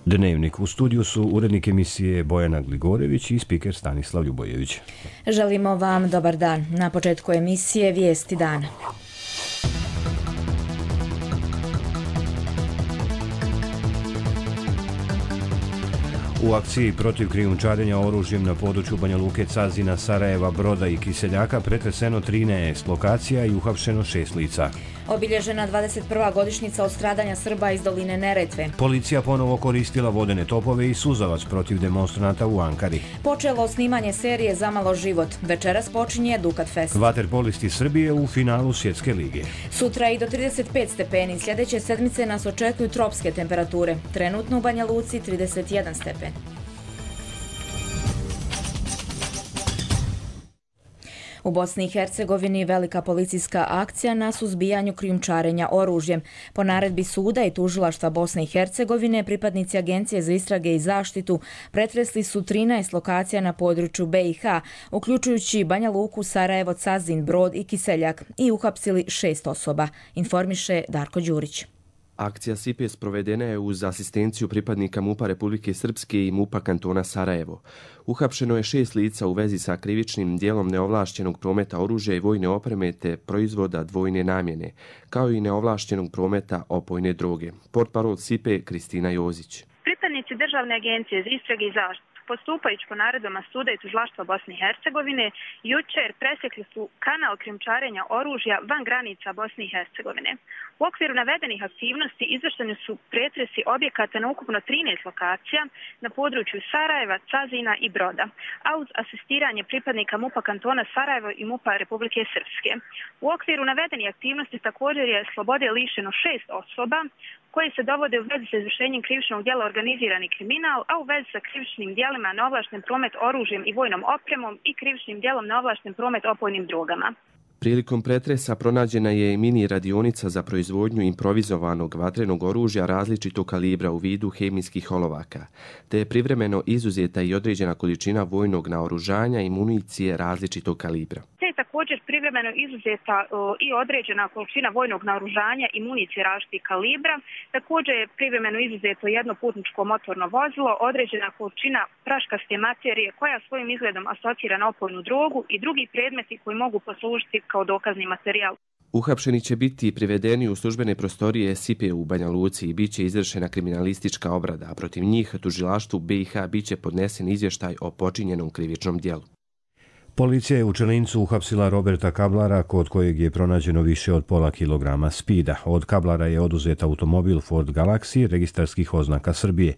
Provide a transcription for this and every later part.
Dnevnik. U studiju su urednik emisije Bojana Gligorević i spiker Stanislav Ljubojević. Želimo vam dobar dan. Na početku emisije Vijesti dana. U akciji protiv krijumčarenja oružjem na području Banja Luke, Cazina, Sarajeva, Broda i Kiseljaka pretreseno 13 lokacija i uhapšeno 6 lica. Obilježena 21. godišnjica od stradanja Srba iz doline Neretve. Policija ponovo koristila vodene topove i suzavac protiv demonstranata u Ankari. Počelo snimanje serije Zamalo život. Večeras počinje Dukat Fest. Vaterpolisti Srbije u finalu Svjetske lige. Sutra i do 35 stepeni. Sljedeće sedmice nas očekuju tropske temperature. Trenutno u Banja Luci 31 stepen. U Bosni i Hercegovini velika policijska akcija na suzbijanju krijumčarenja oružjem. Po naredbi suda i tužilaštva Bosne i Hercegovine, pripadnici Agencije za istrage i zaštitu pretresli su 13 lokacija na području BiH, uključujući Banja Luku, Sarajevo, Cazin, Brod i Kiseljak, i uhapsili 6 osoba, informiše Darko Đurić. Akcija SIPE sprovedena je uz asistenciju pripadnika MUP-a Republike Srpske i MUP-a kantona Sarajevo. Uhapšeno je 6 lica u vezi sa krivičnim dijelom neovlašćenog prometa oružja i vojne opreme te proizvoda dvojne namjene, kao i neovlašćenog prometa opojne droge. Portparol SIPE Kristina Jozić. Pripadnici Državne agencije za istrage i zaštitu, postupajući po naredbama suda i tužilaštva Bosne i Hercegovine, jučer presjekli su kanal krijumčarenja oružja van granica Bosne i Hercegovine. U okviru navedenih aktivnosti izvršeni su pretresi objekata na ukupno 13 lokacija na području Sarajeva, Cazina i Broda, a uz asistiranje pripadnika MUP-a kantona Sarajevo i MUP-a Republike Srpske. U okviru navedenih aktivnosti također je slobode lišeno 6 osoba koji se dovode u vezi sa izvršenjem krivičnog djela organizirani kriminal, a u vezi sa krivičnim djelima neovlašten promet oružjem i vojnom opremom i krivičnim djelom neovlašten promet opojnim drogama. Prilikom pretresa pronađena je i mini radionica za proizvodnju improvizovanog vatrenog oružja različitog kalibra u vidu hemijskih olovaka, te je privremeno izuzeta i određena količina vojnog naoružanja i municije različitog kalibra. Te je također privremeno izuzeta i određena količina vojnog naoružanja i municije različitih kalibra. Također je privremeno izuzeto jedno putničko motorno vozilo, određena količina praškaste materije koja svojim izgledom asocira na opojnu drogu i drugi predmeti koji mogu poslužiti kao dokazni materijal. Uhapšeni će biti privedeni u službene prostorije SIPE u Banja Luci i bit će izvršena kriminalistička obrada, a protiv njih tužilaštvu BiH bit će podnesen izvještaj o počinjenom krivičnom djelu. Policija je u Čelincu uhapsila Roberta Kablara, kod kojeg je pronađeno više od pola kilograma spida. Od Kablara je oduzet automobil Ford Galaxy registarskih oznaka Srbije.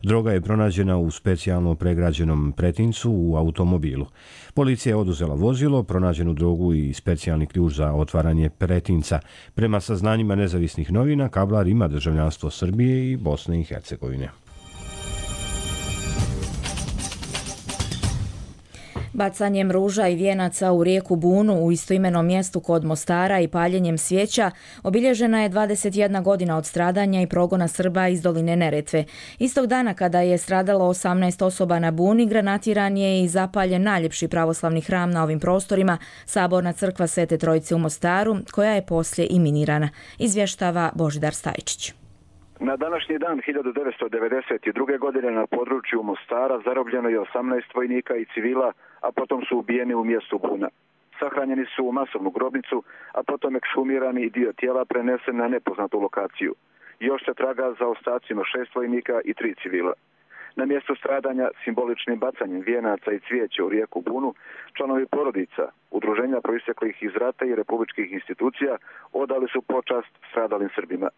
Droga je pronađena u specijalno pregrađenom pretincu u automobilu. Policija je oduzela vozilo, pronađenu drogu i specijalni ključ za otvaranje pretinca. Prema saznanjima nezavisnih novina, Kablar ima državljanstvo Srbije i Bosne i Hercegovine. Bacanjem ruža i vijenaca u rijeku Bunu u istoimenom mjestu kod Mostara i paljenjem svijeća obilježena je 21 godina od stradanja i progona Srba iz doline Neretve. Istog dana kada je stradalo 18 osoba na Buni, granatiran je i zapaljen najljepši pravoslavni hram na ovim prostorima, Saborna crkva Svete Trojice u Mostaru, koja je poslije i minirana, izvještava Božidar Stajičić. Na današnji dan 1992. godine na području Mostara zarobljeno je 18 vojnika i civila, a potom su ubijeni u mjestu Buna. Sahranjeni su u masovnu grobnicu, a potom ekshumirani i dio tijela prenesen na nepoznatu lokaciju. Još se traga za ostacima 6 vojnika i 3 civila. Na mjestu stradanja simboličnim bacanjem vijenaca i cvijeća u rijeku Bunu, članovi porodica, udruženja proisteklih iz rata i republičkih institucija odali su počast stradalim Srbima.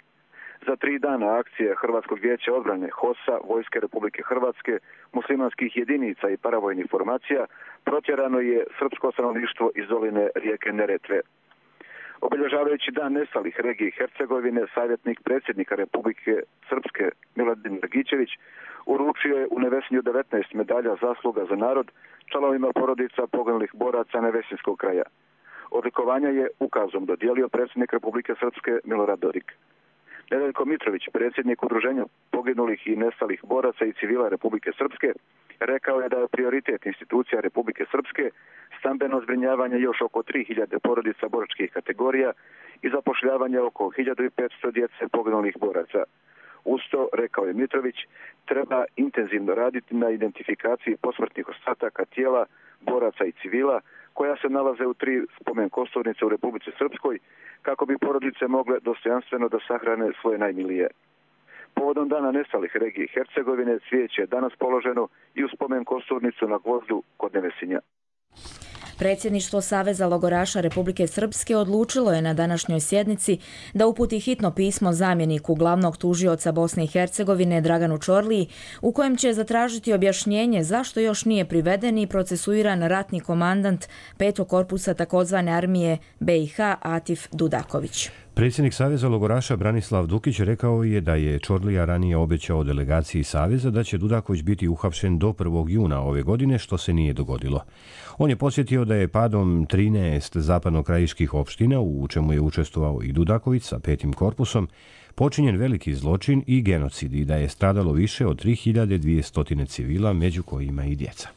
Za 3 dana akcije Hrvatskog vijeća odbrane, HOS-a, Vojske Republike Hrvatske, muslimanskih jedinica i paravojnih formacija protjerano je srpsko stanovništvo iz doline rijeke Neretve. Obilježavajući dan nestalih regije Hercegovine, savjetnik predsjednika Republike Srpske Miladin Dragičević uručio je u Nevesinju 19 medalja zasluga za narod članovima porodica poginulih boraca Nevesinskog kraja. Odlikovanja je ukazom dodijelio predsjednik Republike Srpske Milorad Dodik. Nedeljko Mitrović, predsjednik udruženja poginulih i nestalih boraca i civila Republike Srpske, rekao je da je prioritet institucija Republike Srpske stambeno zbrinjavanje još oko 3000 porodica boračkih kategorija i zapošljavanje oko 1500 djece poginulih boraca. Usto, rekao je Mitrović, treba intenzivno raditi na identifikaciji posmrtnih ostataka tijela, boraca i civila koja se nalaze u 3 spomen kosturnice u Republici Srpskoj kako bi porodice mogle dostojanstveno da sahrane svoje najmilije. Povodom dana nestalih regije Hercegovine cvijeće je danas položeno i u spomen kosturnicu na Gvozdu kod Nevesinja. Predsjedništvo Saveza logoraša Republike Srpske odlučilo je na današnjoj sjednici da uputi hitno pismo zamjeniku glavnog tužioca Bosne i Hercegovine Draganu Čorliji u kojem će zatražiti objašnjenje zašto još nije priveden i procesuiran ratni komandant 5. korpusa takozvane armije BiH Atif Dudaković. Predsjednik Saveza logoraša Branislav Dukić rekao je da je Čorlija ranije obećao delegaciji Saveza da će Dudaković biti uhapšen do 1. juna ove godine, što se nije dogodilo. On je podsjetio da je padom 13 zapadnokrajiških opština, u čemu je učestvovao i Dudaković sa 5. korpusom, počinjen veliki zločin i genocid i da je stradalo više od 3200 civila, među kojima i djeca.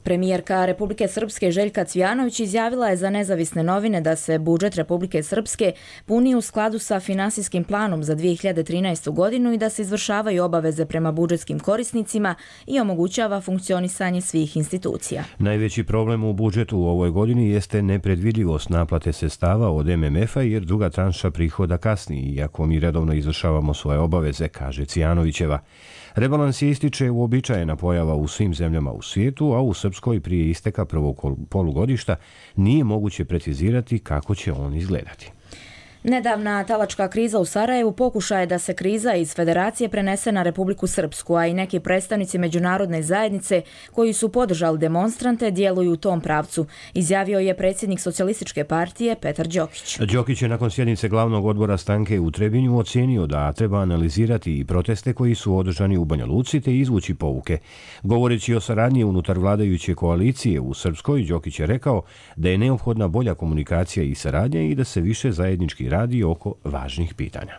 Premijerka Republike Srpske Željka Cvijanović izjavila je za nezavisne novine da se budžet Republike Srpske puni u skladu sa finansijskim planom za 2013. godinu i da se izvršavaju obaveze prema budžetskim korisnicima i omogućava funkcionisanje svih institucija. Najveći problem u budžetu u ovoj godini jeste nepredvidljivost naplate sredstava od MMF-a jer druga tranša prihoda kasni, iako mi redovno izvršavamo svoje obaveze, kaže Cvijanovićeva. Rebalans je ističe uobičajena pojava u svim zemljama u svijetu, a u Srpskoj prije isteka prvog polugodišta nije moguće precizirati kako će on izgledati. Nedavna talačka kriza u Sarajevu pokušaj je da se kriza iz Federacije prenese na Republiku Srpsku, a i neki predstavnici međunarodne zajednice koji su podržali demonstrante djeluju u tom pravcu, izjavio je predsjednik Socijalističke partije Petar Đokić. Đokić je nakon sjednice glavnog odbora stranke u Trebinju ocijenio da treba analizirati i proteste koji su održani u Banja Luci te izvući pouke. Govoreći o saradnji unutar vladajuće koalicije u Srpskoj, Đokić je rekao da je neophodna bolja komunikacija i saradnja i da se više zajednički radi oko važnih pitanja.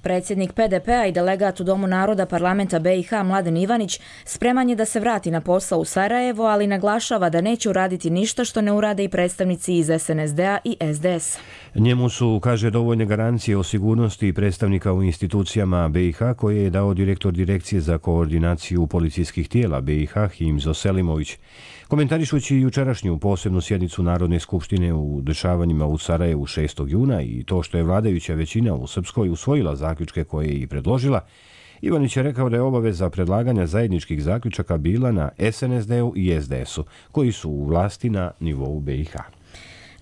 Predsjednik PDP-a i delegat u Domu naroda parlamenta BiH Mladen Ivanić spreman je da se vrati na posao u Sarajevo, ali naglašava da neće uraditi ništa što ne urade i predstavnici iz SNSD-a i SDS. Njemu su, kaže, dovoljne garancije o sigurnosti predstavnika u institucijama BiH koje je dao direktor Direkcije za koordinaciju policijskih tijela BiH Himzo Selimović. Komentarišući jučerašnju posebnu sjednicu Narodne skupštine u dešavanjima u Sarajevu 6. juna i to što je vladajuća većina u Srpskoj usvojila zaključke koje je i predložila, Ivanić je rekao da je obaveza predlaganja zajedničkih zaključaka bila na SNSD-u i SDS-u, koji su u vlasti na nivou BiH.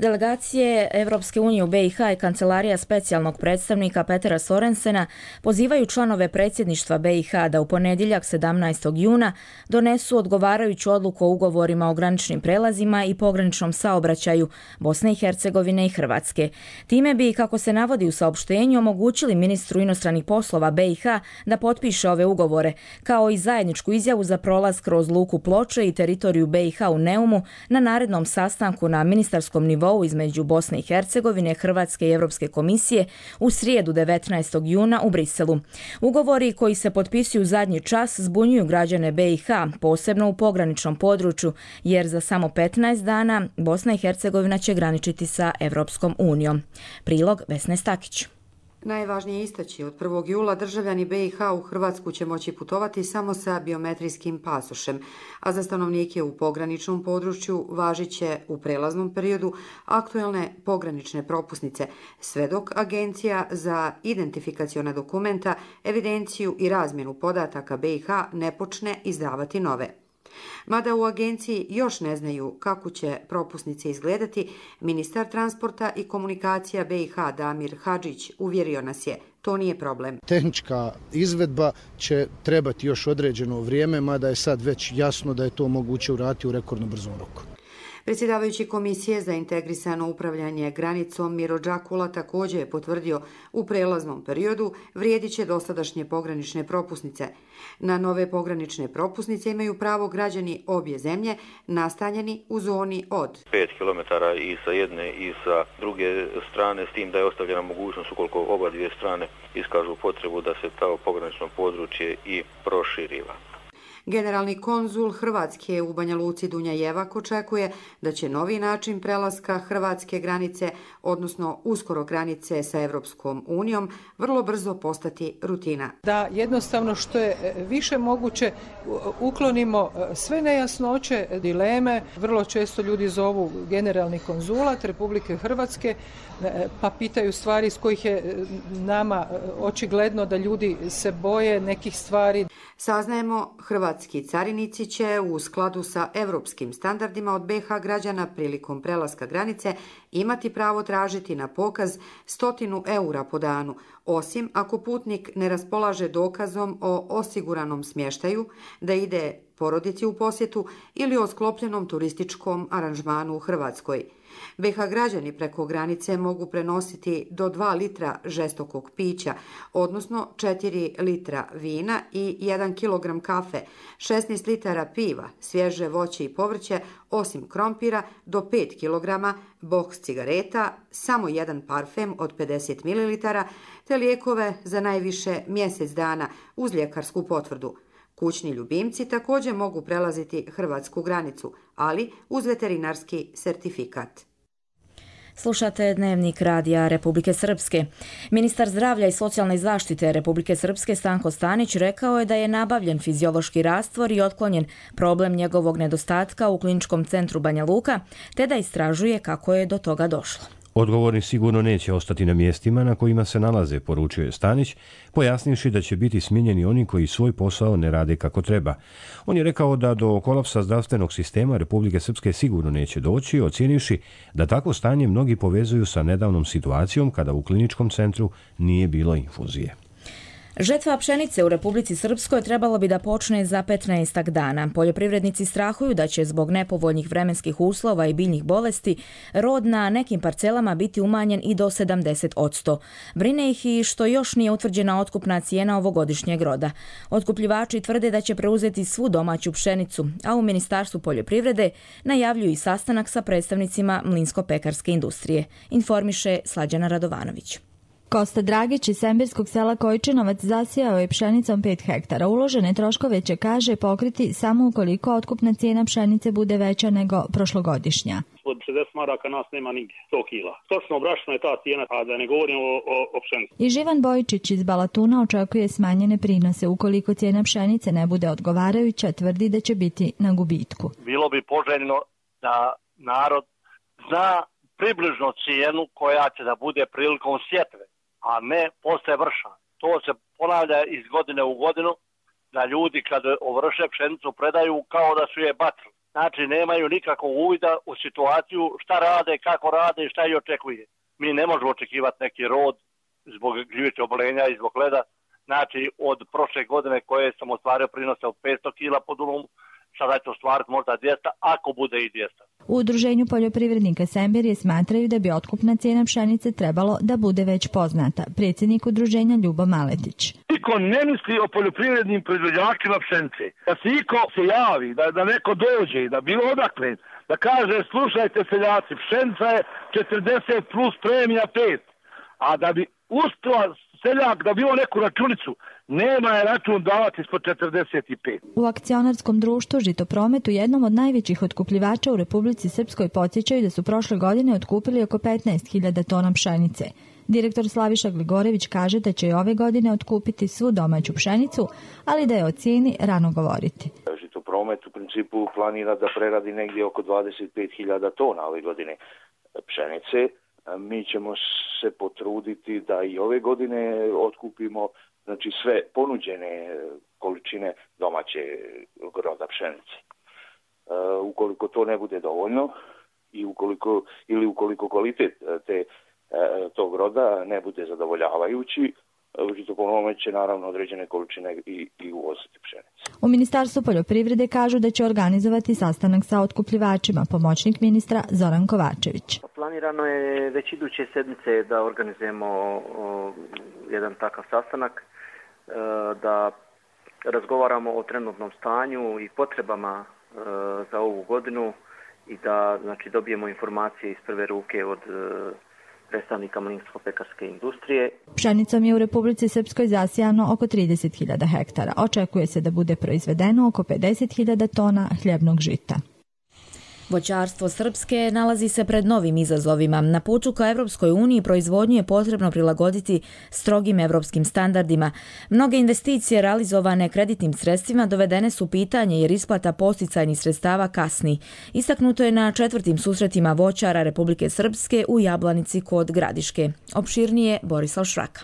Delegacije Evropske unije u BiH i Kancelarija specijalnog predstavnika Petera Sorensena pozivaju članove predsjedništva BiH da u ponedjeljak 17. juna donesu odgovarajuću odluku o ugovorima o graničnim prelazima i pograničnom saobraćaju Bosne i Hercegovine i Hrvatske. Time bi, kako se navodi u saopštenju, omogućili ministru inostranih poslova BiH da potpiše ove ugovore, kao i zajedničku izjavu za prolaz kroz luku Ploče i teritoriju BiH u Neumu na narednom sastanku na ministarskom nivou između Bosne i Hercegovine, Hrvatske i Europske komisije u srijedu 19. juna u Briselu. Ugovori koji se potpisuju zadnji čas zbunjuju građane BiH, posebno u pograničnom području, jer za samo 15 dana Bosna i Hercegovina će graničiti sa Europskom unijom. Prilog Vesne Stakić. Najvažnije istaći, od 1. jula državljani BiH u Hrvatsku će moći putovati samo sa biometrijskim pasošem, a za stanovnike u pograničnom području važit će u prelaznom periodu aktuelne pogranične propusnice, sve dok Agencija za identifikacione dokumenta, evidenciju i razmjenu podataka BiH ne počne izdavati nove. Mada u agenciji još ne znaju kako će propusnice izgledati, ministar transporta i komunikacija BiH Damir Hadžić uvjerio nas je, to nije problem. Tehnička izvedba će trebati još određeno vrijeme, mada je sad već jasno da je to moguće uraditi u rekordno brzom roku. Predsjedavajući Komisije za integrisano upravljanje granicom Miro Đakula također je potvrdio u prelaznom periodu vrijedit će dosadašnje pogranične propusnice. Na nove pogranične propusnice imaju pravo građani obje zemlje nastanjeni u zoni od 5 km i sa jedne i sa druge strane, s tim da je ostavljena mogućnost ukoliko oba dvije strane iskažu potrebu da se to pogranično područje i proširiva. Generalni konzul Hrvatske u Banja Luci Dunja Jevak očekuje da će novi način prelaska hrvatske granice, odnosno uskoro granice sa Evropskom unijom, vrlo brzo postati rutina. Da jednostavno što je više moguće uklonimo sve nejasnoće, dileme. Vrlo često ljudi zovu generalni konzulat Republike Hrvatske pa pitaju stvari iz kojih je nama očigledno da ljudi se boje nekih stvari. Saznajemo, hrvatski carinici će u skladu sa evropskim standardima od BiH građana prilikom prelaska granice imati pravo tražiti na pokaz 100 eura po danu, osim ako putnik ne raspolaže dokazom o osiguranom smještaju, da ide porodici u posjetu ili o sklopljenom turističkom aranžmanu u Hrvatskoj. BiH građani preko granice mogu prenositi do 2 litra žestokog pića, odnosno 4 litra vina i 1 kilogram kafe, 16 litara piva, svježe voće i povrće, osim krompira, do 5 kilograma, boks cigareta, samo jedan parfem od 50 ml, te lijekove za najviše mjesec dana uz ljekarsku potvrdu. Kućni ljubimci također mogu prelaziti hrvatsku granicu, ali uz veterinarski sertifikat. Slušate Dnevnik radija Republike Srpske. Ministar zdravlja i socijalne zaštite Republike Srpske Stanko Stanić rekao je da je nabavljen fiziološki rastvor i otklonjen problem njegovog nedostatka u Kliničkom centru Banja Luka, te da istražuje kako je do toga došlo. Odgovorni sigurno neće ostati na mjestima na kojima se nalaze, poručio je Stanić, pojasnivši da će biti smijenjeni oni koji svoj posao ne rade kako treba. On je rekao da do kolapsa zdravstvenog sistema Republike Srpske sigurno neće doći, ocijenivši da takvo stanje mnogi povezuju sa nedavnom situacijom kada u kliničkom centru nije bilo infuzije. Žetva pšenice u Republici Srpskoj trebalo bi da počne za 15 dana. Poljoprivrednici strahuju da će zbog nepovoljnih vremenskih uslova i biljnih bolesti rod na nekim parcelama biti umanjen i do 70%. Brine ih i što još nije utvrđena otkupna cijena ovogodišnjeg roda. Otkupljivači tvrde da će preuzeti svu domaću pšenicu, a u Ministarstvu poljoprivrede najavljuju i sastanak sa predstavnicima mlinsko-pekarske industrije, informiše Slađana Radovanović. Kosta Dragić iz Sembirskog sela Kojčinovac zasijao je pšenicom 5 hektara. Uložene troškove će, kaže, pokriti samo ukoliko otkupna cijena pšenice bude veća nego prošlogodišnja. Od 60 maraka nas nema nigdje, 100 kila. Točno obračuna je ta cijena, a da ne govorimo o pšenici. I Živan Bojčić iz Balatuna očekuje smanjene prinose. Ukoliko cijena pšenice ne bude odgovarajuća, tvrdi da će biti na gubitku. Bilo bi poželjno da narod zna približno cijenu koja će da bude prilikom sjetve, a ne posle vrša. To se ponavlja iz godine u godinu, da ljudi kad ovrše pšenicu predaju kao da su je bacili. Znači nemaju nikakvog uvida u situaciju šta rade, kako rade i šta ih očekuje. Mi ne možemo očekivati neki rod zbog gljivičnog oboljenja i zbog leda. Znači od prošle godine koje sam ostvario prinose od 500 kila po dumu, sada ću ostvariti možda 200, ako bude i 200. U Udruženju poljoprivrednika Sembirje smatraju da bi otkupna cijena pšenice trebalo da bude već poznata. Predsjednik udruženja Ljubo Maletić. Niko ne misli o poljoprivrednim proizvođačima pšenice. Da se iko se javi, da neko dođe, da bilo odakle, da kaže slušajte seljaci, pšenica je 40 plus premija 5, a da bi uspio seljak da bilo neku računicu, nema je račun davati ispod 45. U akcionarskom društvu Žitopromet, u jednom od najvećih otkupljivača u Republici Srpskoj, podsjećaju da su prošle godine otkupili oko 15.000 tona pšenice. Direktor Slaviša Gligorević kaže da će i ove godine otkupiti svu domaću pšenicu, ali da je o cijeni rano govoriti. Žitopromet u principu planira da preradi negdje oko 25.000 tona ove godine pšenice. Mi ćemo se potruditi da i ove godine otkupimo sve ponuđene količine domaće roda pšenice. Ukoliko to ne bude dovoljno i ukoliko kvalitet tog roda ne bude zadovoljavajući, Žitopromet će naravno određene količine i uvoziti pšenice. U Ministarstvu poljoprivrede kažu da će organizovati sastanak sa otkupljivačima. Pomoćnik ministra Zoran Kovačević. Planirano je već iduće sedmice da organizujemo jedan takav sastanak, da razgovaramo o trenutnom stanju i potrebama za ovu godinu i da dobijemo informacije iz prve ruke od predstavnika mlinsko-pekarske industrije. Pšenicom je u Republici Srpskoj zasijano oko 30.000 hektara. Očekuje se da bude proizvedeno oko 50.000 tona hljebnog žita. Voćarstvo Srpske nalazi se pred novim izazovima. Na putu ka Evropskoj uniji proizvodnju je potrebno prilagoditi strogim evropskim standardima. Mnoge investicije realizovane kreditnim sredstvima dovedene su pitanje jer isplata posticajnih sredstava kasni. Istaknuto je na 4. susretima voćara Republike Srpske u Jablanici kod Gradiške. Opširnije Borislav Šraka.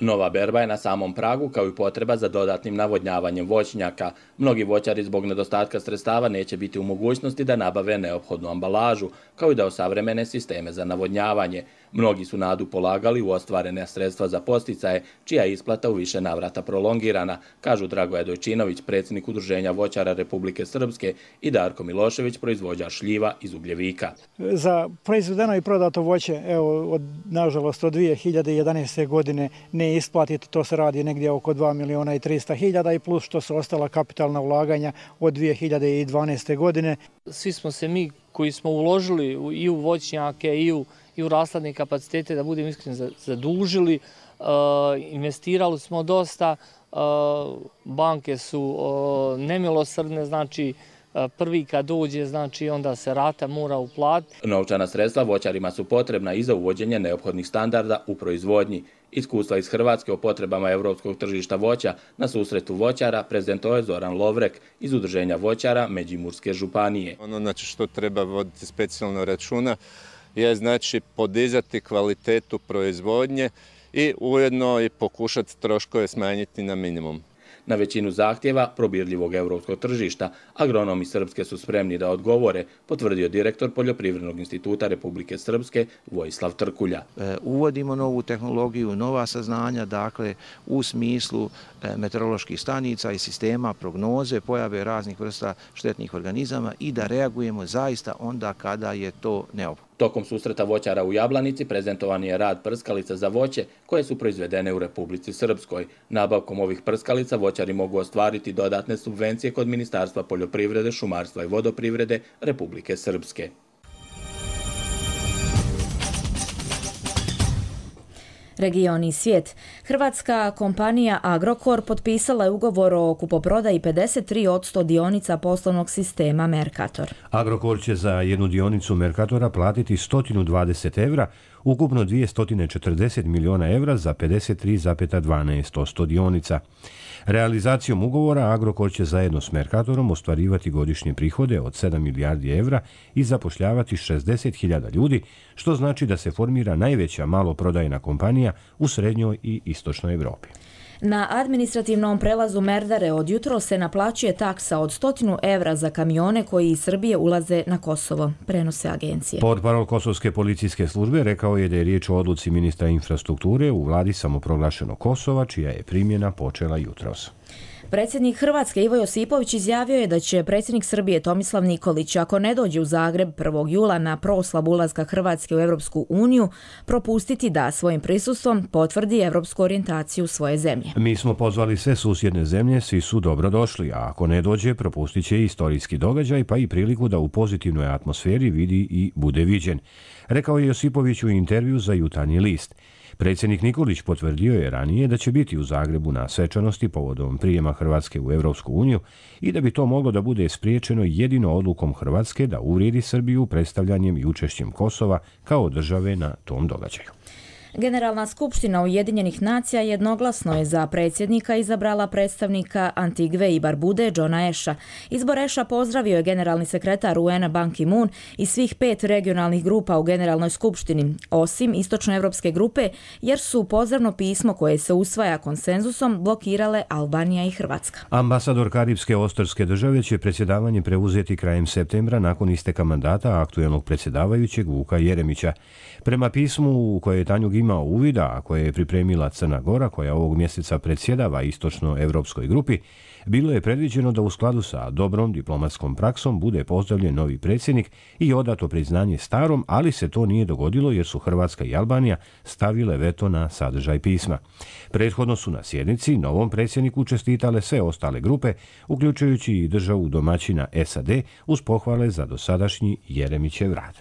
Nova berba je na samom pragu kao i potreba za dodatnim navodnjavanjem voćnjaka. Mnogi voćari zbog nedostatka sredstava neće biti u mogućnosti da nabave neophodnu ambalažu, kao i da osavremene sisteme za navodnjavanje. Mnogi su nadu polagali u ostvarene sredstva za podsticaje, čija je isplata u više navrata prolongirana, kažu Dragoje Dojčinović, predsjednik Udruženja voćara Republike Srpske, i Darko Milošević, proizvođač šljiva iz Ugljevika. Za proizvedeno i prodato voće, nažalost, od 2011. godine ne isplatiti, to se radi negdje oko 2.300.000 i plus što su ostala kapitalna ulaganja od 2012. godine. Svi smo se mi koji smo uložili i u voćnjake i u rasladne kapacitete, da budemo iskreni, zadužili, investirali smo dosta, banke su nemilosrdne, znači prvi kad dođe, znači onda se rata mora uplatiti. Novčana sredstva voćarima su potrebna i za uvođenje neophodnih standarda u proizvodnji. Iskustva iz Hrvatske o potrebama evropskog tržišta voća na susretu voćara prezentovao je Zoran Lovrek iz Udruženja voćara Međimurske županije. Ono što treba voditi specijalno računa je znači podizati kvalitetu proizvodnje i ujedno i pokušati troškove smanjiti na minimum. Na većinu zahtjeva probirljivog evropskog tržišta agronomi Srpske su spremni da odgovore, potvrdio direktor Poljoprivrednog instituta Republike Srpske Vojislav Trkulja. Uvodimo novu tehnologiju, nova saznanja, dakle u smislu meteoroloških stanica i sistema prognoze pojave raznih vrsta štetnih organizama i da reagujemo zaista onda kada je to neophodno. Tokom susreta voćara u Jablanici prezentovan je rad prskalica za voće koje su proizvedene u Republici Srpskoj. Nabavkom ovih prskalica voćari mogu ostvariti dodatne subvencije kod Ministarstva poljoprivrede, šumarstva i vodoprivrede Republike Srpske. Region i svijet. Hrvatska kompanija Agrokor potpisala je ugovor o kupoprodaji 53% dionica poslovnog sistema Mercator. Agrokor će za jednu dionicu Mercatora platiti 120 evra, ukupno 240 miliona evra za 53,12% dionica. Realizacijom ugovora Agrokor će zajedno s Mercatorom ostvarivati godišnje prihode od 7 milijardi evra i zapošljavati 60.000 ljudi, što znači da se formira najveća maloprodajna kompanija u srednjoj i istočnoj Evropi. Na administrativnom prelazu Merdare od jutro se naplaćuje taksa od 100 evra za kamione koji iz Srbije ulaze na Kosovo, prenose agencije. Portparol Kosovske policijske službe rekao je da je riječ o odluci ministra infrastrukture u vladi samoproglašenog Kosova, čija je primjena počela jutros. Predsjednik Hrvatske Ivo Josipović izjavio je da će predsjednik Srbije Tomislav Nikolić, ako ne dođe u Zagreb 1. jula na proslavu ulaska Hrvatske u Europsku uniju, propustiti da svojim prisustvom potvrdi evropsku orijentaciju svoje zemlje. Mi smo pozvali sve susjedne zemlje, svi su dobro došli, a ako ne dođe, propustit će istorijski događaj, pa i priliku da u pozitivnoj atmosferi vidi i bude viđen, rekao je Josipović u intervju za Jutarnji list. Predsjednik Nikolić potvrdio je ranije da će biti u Zagrebu na svečanosti povodom prijema Hrvatske u Europsku uniju i da bi to moglo da bude spriječeno jedino odlukom Hrvatske da uvrijedi Srbiju predstavljanjem i učešćem Kosova kao države na tom događaju. Generalna skupština Ujedinjenih nacija jednoglasno je za predsjednika izabrala predstavnika Antigve i Barbude Johna Asha. Izbor Asha pozdravio je generalni sekretar UN Ban Ki-moon i svih 5 regionalnih grupa u Generalnoj skupštini, osim istočnoevropske grupe, jer su pozdravno pismo koje se usvaja konsenzusom blokirale Albanija i Hrvatska. Ambasador Karipske ostrvske države će predsjedavanje preuzeti krajem septembra nakon isteka mandata aktuelnog predsjedavajućeg Vuka Jeremića. Prema pismu u koje je Tanjug imao uvida, a koje je pripremila Crna Gora, koja ovog mjeseca predsjedava istočnoevropskoj grupi, bilo je predviđeno da u skladu sa dobrom diplomatskom praksom bude pozdravljen novi predsjednik i odato priznanje starom, ali se to nije dogodilo jer su Hrvatska i Albanija stavile veto na sadržaj pisma. Prethodno su na sjednici novom predsjedniku čestitale sve ostale grupe, uključujući i državu domaćina SAD, uz pohvale za dosadašnji Jeremićev rad.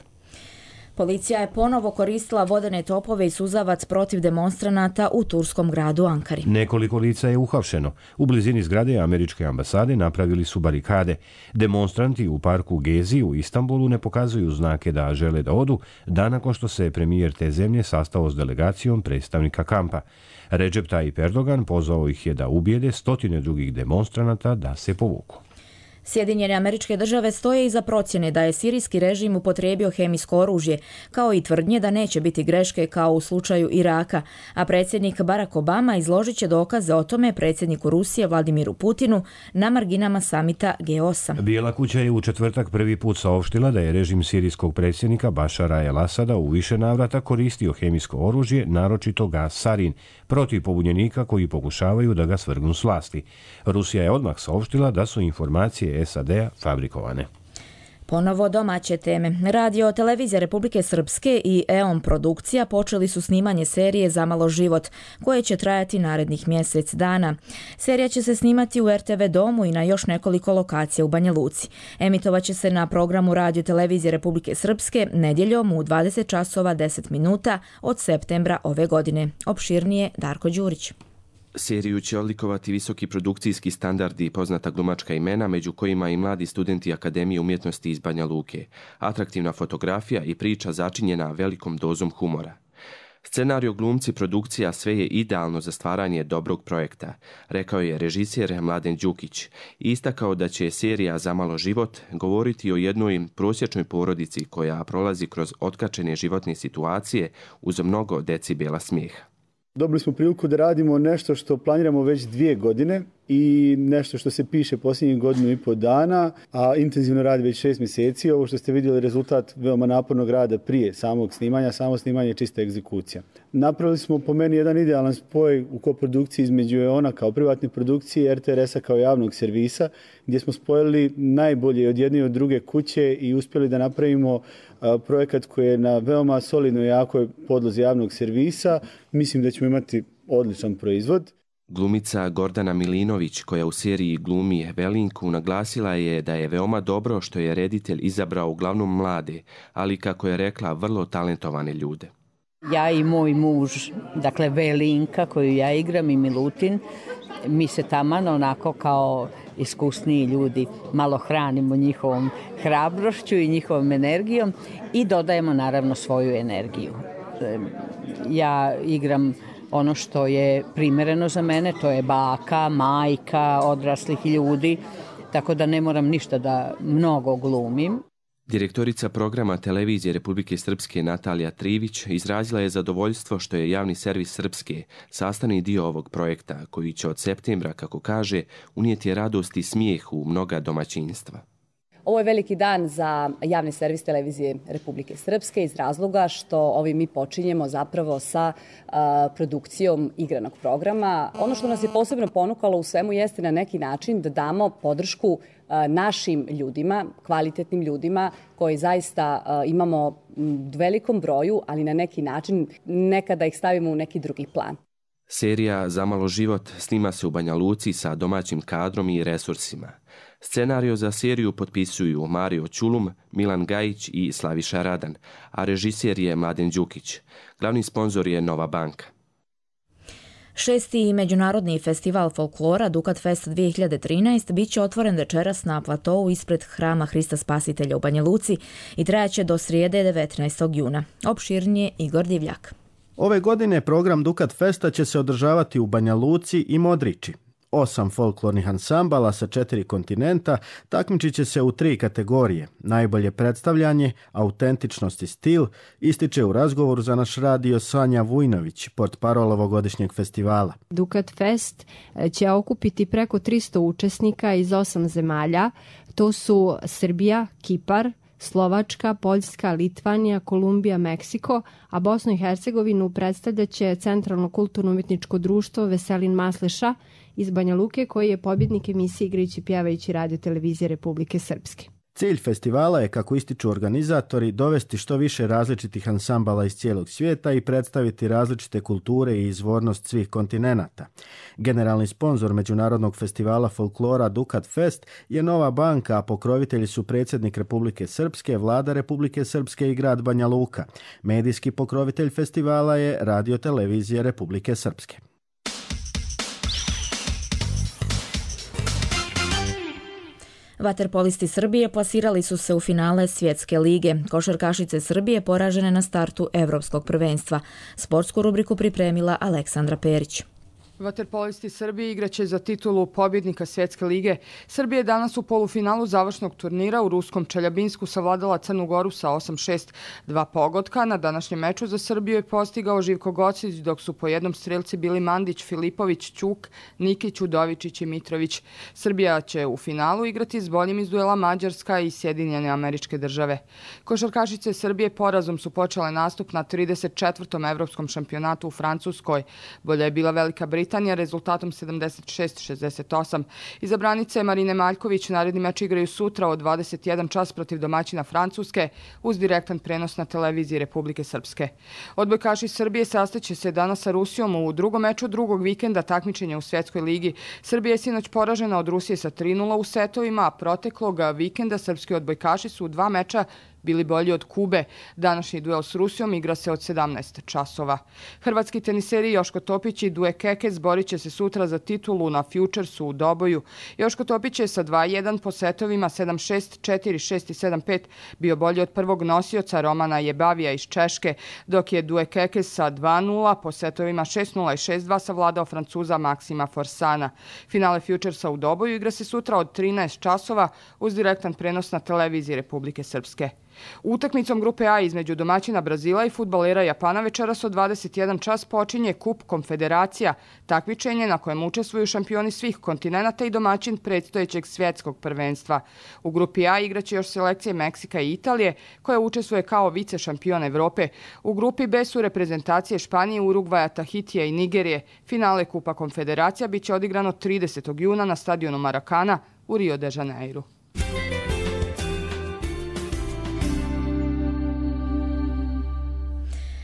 Policija je ponovo koristila vodene topove i suzavac protiv demonstranata u turskom gradu Ankari. Nekoliko lica je uhapšeno. U blizini zgrade američke ambasade napravili su barikade. Demonstranti u parku Gezi u Istanbulu ne pokazuju znake da žele da odu, dan nakon što se premijer te zemlje sastao s delegacijom predstavnika kampa. Recep Tayyip Erdogan pozvao ih je da ubijede stotine drugih demonstranata da se povuku. Sjedinjene Američke Države stoje iza procjene da je sirijski režim upotrijebio hemijsko oružje, kao i tvrdnje da neće biti greške kao u slučaju Iraka, a predsjednik Barack Obama izložit će dokaze o tome predsjedniku Rusije Vladimiru Putinu na marginama samita G8. Bijela kuća je u četvrtak prvi put saopštila da je režim sirijskog predsjednika Bašara el-Asada u više navrata koristio hemijsko oružje, naročito gas sarin, protiv pobunjenika koji pokušavaju da ga svrgnu s vlasti. Rusija je odmah saopštila da su informacije SAD-a fabrikovane. Ponovo domaće teme. Radio Televizija Republike Srpske i EON Produkcija počeli su snimanje serije Zamalo život, koje će trajati narednih mjesec dana. Serija će se snimati u RTV domu i na još nekoliko lokacija u Banja Luci. Emitovaće se na programu Radio Televizije Republike Srpske nedjeljom u 20 časova 10 minuta od septembra ove godine. Opširnije Darko Đurić. Seriju će odlikovati visoki produkcijski standardi i poznata glumačka imena, među kojima i mladi studenti Akademije umjetnosti iz Banja Luke. Atraktivna fotografija i priča začinjena velikom dozom humora. Scenario, glumci, produkcija, sve je idealno za stvaranje dobrog projekta, rekao je režiser Mladen Đukić i istakao da će serija Zamalo život govoriti o jednoj prosječnoj porodici koja prolazi kroz otkačene životne situacije uz mnogo decibela smijeha. Dobili smo priliku da radimo nešto što planiramo već 2 godine i nešto što se piše posljednjih 1,5 dana, a intenzivno radi već 6 mjeseci. Ovo što ste vidjeli rezultat veoma napornog rada prije samog snimanja, samo snimanje je čista egzekucija. Napravili smo po meni jedan idealan spoj u koprodukciji između EON-a kao privatne produkcije i RTRS-a kao javnog servisa, gdje smo spojili najbolje od jedne i od druge kuće i uspjeli da napravimo projekat koji je na veoma solidnoj i jakoj podlozi javnog servisa. Mislim da ćemo imati odličan proizvod. Glumica Gordana Milinović, koja u seriji glumi Velinku, naglasila je da je veoma dobro što je reditelj izabrao uglavnom mlade, ali kako je rekla, vrlo talentovane ljude. Ja i moj muž, dakle Velinka koju ja igram i Milutin, mi se taman onako kao iskusniji ljudi malo hranimo njihovom hrabrošću i njihovom energijom i dodajemo naravno svoju energiju. Ja igram ono što je primjereno za mene, to je baka, majka, odraslih ljudi, tako da ne moram ništa da mnogo glumim. Direktorica programa Televizije Republike Srpske Natalija Trivić izrazila je zadovoljstvo što je javni servis Srpske sastavni dio ovog projekta, koji će od septembra, kako kaže, unijeti radost i smijeh u mnoga domaćinstva. Ovo je veliki dan za javni servis Televizije Republike Srpske iz razloga što ovim mi počinjemo zapravo sa produkcijom igranog programa. Ono što nas je posebno ponukalo u svemu jeste na neki način da damo podršku našim ljudima, kvalitetnim ljudima koji zaista imamo u velikom broju, ali na neki način nekada ih stavimo u neki drugi plan. Serija Zamalo život snima se u Banja Luci sa domaćim kadrom i resursima. Scenario za seriju potpisuju Mario Ćulum, Milan Gajić i Slaviša Radan, a režiser je Mladen Đukić. Glavni sponzor je Nova banka. 6. međunarodni festival folklora Dukat Fest 2013 bit će otvoren večeras na platovu ispred Hrama Hrista Spasitelja u Banja Luci i trajaće do srijede 19. juna. Opširnije Igor Divljak. Ove godine program Dukat Festa će se održavati u Banja Luci i Modriči. 8 folklornih ansambala sa 4 kontinenta takmičit će se u 3 kategorije. Najbolje predstavljanje, autentičnost i stil, ističe u razgovoru za naš radio Sanja Vujnović, portparol ovogodišnjeg festivala. Dukat Fest će okupiti preko 300 učesnika iz 8 zemalja. To su Srbija, Kipar, Slovačka, Poljska, Litvanija, Kolumbija, Meksiko, a Bosnu i Hercegovinu predstavljaće Centralno kulturno-umjetničko društvo Veselin Masleša iz Banja Luke, koji je pobjednik emisije Igrajući pjevajući Radio Televizije Republike Srpske. Cilj festivala je, kako ističu organizatori, dovesti što više različitih ansambala iz cijelog svijeta i predstaviti različite kulture i izvornost svih kontinenata. Generalni sponzor Međunarodnog festivala folklora Dukat Fest je Nova banka, a pokrovitelji su predsjednik Republike Srpske, vlada Republike Srpske i grad Banja Luka. Medijski pokrovitelj festivala je Radio televizija Republike Srpske. Vaterpolisti Srbije plasirali su se u finale Svjetske lige. Košarkašice Srbije poražene na startu Evropskog prvenstva. Sportsku rubriku pripremila Aleksandra Perić. Vaterpolisti Srbije igraće za titulu pobjednika Svjetske lige. Srbija je danas u polufinalu završnog turnira u ruskom Čeljabinsku savladala Crnu Goru sa 8-6. 2 pogotka na današnjem meču za Srbiju je postigao Živko Gocić, dok su po jednom strelci bili Mandić, Filipović, Ćuk, Nikić, Udovičić i Mitrović. Srbija će u finalu igrati s boljim iz duela Mađarska i Sjedinjene Američke Države. Košarkašice Srbije porazom su počele nastup na 34. evropskom šampionatu u Francuskoj. Bolja je bila Velika Britanija rezultatom 76-68. Izabranice Marine Maljković naredni meč igraju sutra od 21 čas protiv domaćina Francuske uz direktan prenos na televiziji Republike Srpske. Odbojkaši Srbije sastaće se danas sa Rusijom u drugom meču drugog vikenda takmičenja u Svjetskoj ligi. Srbija je sinoć poražena od Rusije sa 3-0 u setovima, a proteklog vikenda srpski odbojkaši su u 2 meča bili bolji od Kube. Današnji duel s Rusijom igra se od 17 časova. Hrvatski teniseri Joško Topić i Duje Kekes borit će se sutra za titulu na Futuresu u Doboju. Joško Topić je sa 2-1 po setovima 7-6, 4-6 i 7-5 bio bolji od prvog nosioca Romana Jebavija iz Češke, dok je Duje Kekes sa 2-0 po setovima 6-0 i 6-2 savladao Francuza Maksima Forsana. Finale Futuresa u Doboju igra se sutra od 13 časova uz direktan prenos na televiziji Republike Srpske. Utakmicom grupe A između domaćina Brazila i fudbalera Japana večeras od 21 čas počinje Kup Konfederacija, takmičenje na kojem učestvuju šampioni svih kontinenata i domaćin predstojećeg svjetskog prvenstva. U grupi A igraće još selekcije Meksika i Italije, koja učestvuje kao vice šampion Evrope. U grupi B su reprezentacije Španije, Urugvaja, Tahitija i Nigerije. Finale Kupa Konfederacija biće odigrano 30. juna na stadionu Marakana u Rio de Janeiro.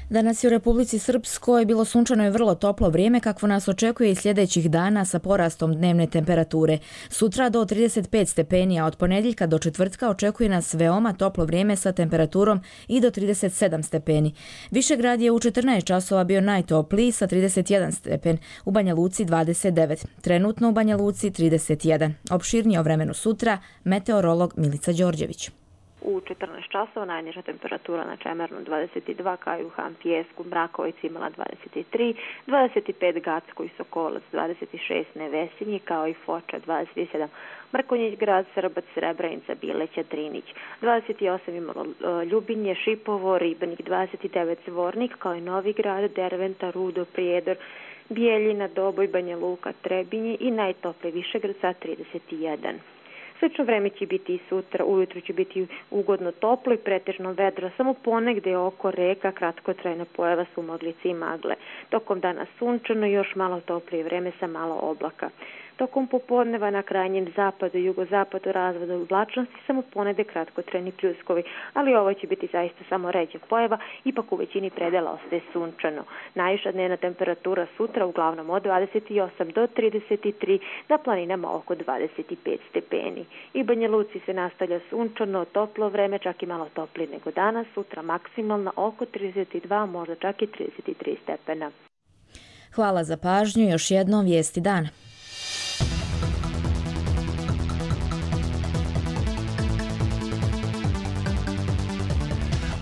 Danas je u Republici Srpskoj bilo sunčano i vrlo toplo vrijeme, kakvo nas očekuje i sljedećih dana sa porastom dnevne temperature. Sutra do 35 stepeni, a od ponedjeljka do četvrtka očekuje nas veoma toplo vrijeme sa temperaturom i do 37 stepeni. Višegrad je u 14 časova bio najtopliji sa 31 stepen, u Banja Luci 29, trenutno u Banja Luci 31. Opširnije o vremenu sutra, meteorolog Milica Đorđević. U 14 časova najniža temperatura na Čemernu 22, Kajuhan, Pijesku, Mrakovici imala 23, 25 Gacko i Sokolac, 26 Nevesinji, kao i Foča 27, Mrkonjić grad, Srbac, Srebrenica, Bileća, Drinić, 28 imalo Ljubinje, Šipovo, Ribnik, 29 Zvornik, kao i Novi grad, Derventa, Rudo, Prijedor, Bijeljina, Doboj, Banja Luka, Trebinje i najtopliji Višegrad sa 31. Slično vreme će biti i sutra, ujutru će biti ugodno toplo i pretežno vedro, samo ponegde oko reka kratkotrajna pojava su moglice i magle. Tokom dana sunčano i još malo toplije vreme sa malo oblaka. Tokom popodneva na krajnjem zapadu i jugozapadu razvoda oblačnosti samo ponede kratkotrajni pljuskovi, ali ovo će biti zaista samo ređa pojava, ipak u većini predela ostaje sunčano. Najviša dnevna temperatura sutra uglavnom od 28 do 33, na planinama oko 25 stepeni. I Banja Luci se nastavlja sunčano, toplo vreme, čak i malo toplije nego danas, sutra maksimalna oko 32, možda čak i 33 stepena. Hvala za pažnju, još jednom vijesti dana.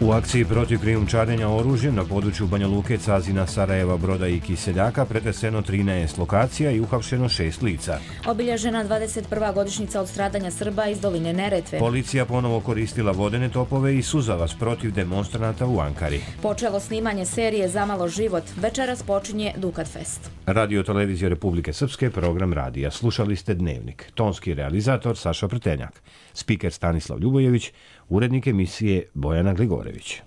U akciji protiv krijumčarenja oružjem na području Banja Luke, Cazina, Sarajeva, Broda i Kiseljaka pretreseno 13 lokacija i uhapšeno 6 lica. Obilježena 21. godišnjica od stradanja Srba iz doline Neretve. Policija ponovo koristila vodene topove i suzavac protiv demonstranata u Ankari. Počelo snimanje serije Zamalo život. Večeras počinje Dukat Fest. Radio televizija Republike Srpske, program radija. Slušali ste Dnevnik. Tonski realizator Saša Prtenjak. Spiker Stanislav Ljubojević. Urednik emisije Bojana Gligorević.